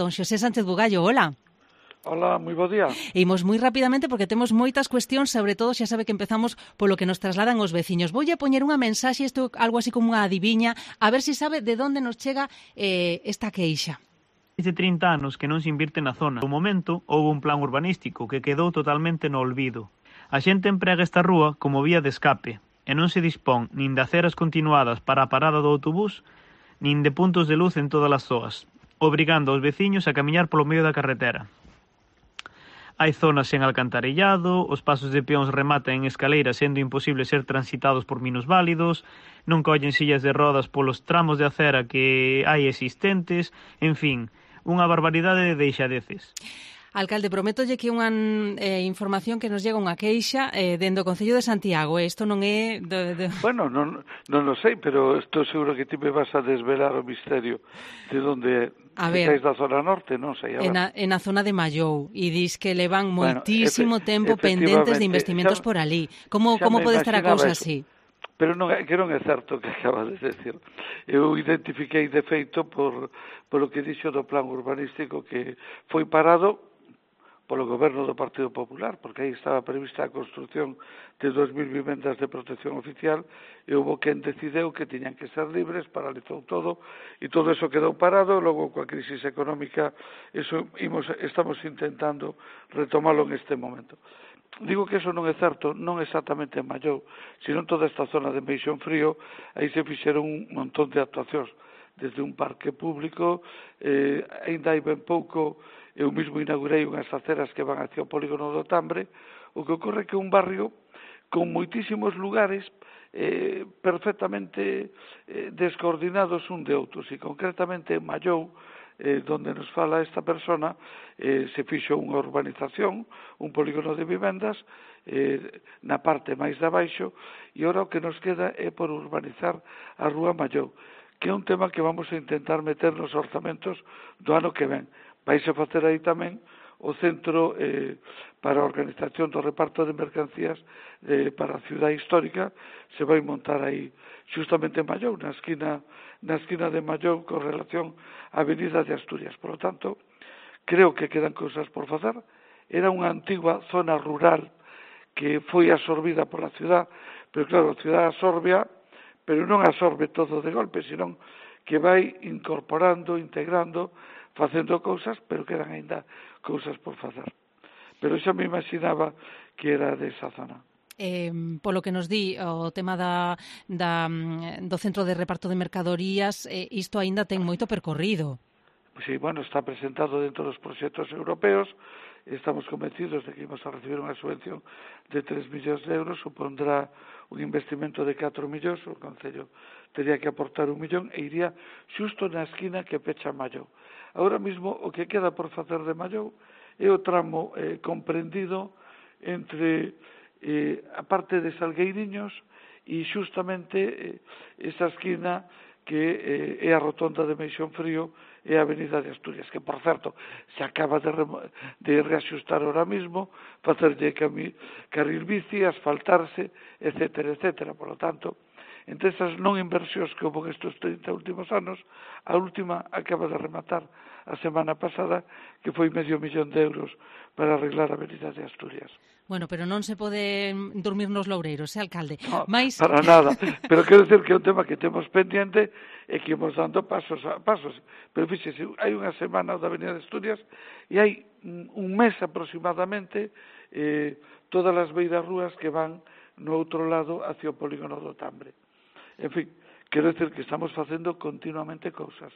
Don Xosé Sánchez Bugallo, hola. Hola, moi bo día. Imos moi rapidamente porque temos moitas cuestións, sobre todo xa sabe que empezamos polo que nos trasladan os veciños. Voulle poñer unha mensaxe, isto algo así como unha adiviña, a ver se sabe de onde nos chega esta queixa. De 30 anos que non se invirte na zona. No momento, houve un plan urbanístico que quedou totalmente no olvido. A xente emprega esta rúa como vía de escape e non se dispón nin de aceras continuadas para a parada do autobús nin de puntos de luz en todas as zoas, obrigando aos veciños a camiñar polo medio da carretera. Hai zonas sen alcantarillado, os pasos de peóns rematan en escaleiras sendo imposible ser transitados por minusválidos, non collen sillas de rodas polos tramos de acera que hai existentes, en fin, unha barbaridade de deixadeces. Alcalde, prométolle que unha información que nos llega unha queixa dende o Concello de Santiago. Isto non é... Bueno, non o sei, pero estou seguro que ti me vas a desvelar o misterio de onde é. A ver, estáis da zona norte, non sei. En a zona de Mallou, e dis que levan moitísimo tempo pendentes de investimentos por ali. Como pode estar a cousa así? Pero que non é certo que acabas de decir. Eu identifiquei de feito polo que dixo do plan urbanístico que foi parado polo goberno do Partido Popular, porque aí estaba prevista a construción de 2.000 vivendas de protección oficial e houve quen decideu que tiñan que ser libres, paralizou todo e todo eso quedou parado. Logo, coa crisis económica, estamos intentando retomalo en este momento. Digo que eso non é certo, non exactamente en Mallou, sino en toda esta zona de Meixón Frío. Aí se fixeron un montón de actuacións, desde un parque público, aínda hai ben pouco. Eu mesmo inaugurei unhas aceras que van hacia o polígono do Tambre. O que ocorre é que é un barrio con moitísimos lugares perfectamente descoordinados un de outros, e concretamente en Mallou, donde nos fala esta persona, se fixo unha urbanización, un polígono de vivendas na parte máis de abaixo, e ora o que nos queda é por urbanizar a Rúa Mallou, que é un tema que vamos a intentar meter nos orzamentos do ano que ven. Vaise facer aí tamén o centro para a organización do reparto de mercancías para a cidade histórica. Se vai montar aí justamente en Mallou, na esquina de Mallou, con relación á Avenida de Asturias. Por lo tanto, creo que quedan cousas por facer. Era unha antigua zona rural que foi absorbida pola cidade, pero claro, a cidade absorbea, pero non absorbe todo de golpe, senón que vai incorporando, integrando, facendo cousas, pero quedan aínda cousas por facer. Pero xa me imaginaba que era desa zona. Polo que nos di o tema do centro de reparto de mercadorías, isto aínda ten moito percorrido. Sí, bueno, está presentado dentro dos proxectos europeos. Estamos convencidos de que imos a recibir unha subvención de 3 millóns de euros, supondrá un investimento de 4 millóns, o Concello teria que aportar 1 millón e iría xusto na esquina que pecha Mallou. Agora mesmo o que queda por facer de Mallou é o tramo comprendido entre a parte de Salgueiriños e justamente esa esquina que é a rotonda de Meixón Frío e a Avenida de Asturias, que, por certo, se acaba de reaxustar ahora mismo, facerlle carril bici, asfaltarse, etcétera, etcétera. Por lo tanto, entre esas non inversións que houve estes 30 últimos anos, a última acaba de rematar a semana pasada, que foi medio millón de euros para arreglar a Avenida de Asturias. Bueno, pero non se pode dormir nos loureiros, alcalde? No, para nada. Pero quero decir que é un tema que temos pendiente e que imos dando pasos. Pero fíxese, hai unha semana da Avenida de Asturias e hai un mes aproximadamente todas as beiras rúas que van no outro lado hacia o polígono do Tambre. En fin, quero decir que estamos facendo continuamente cousas.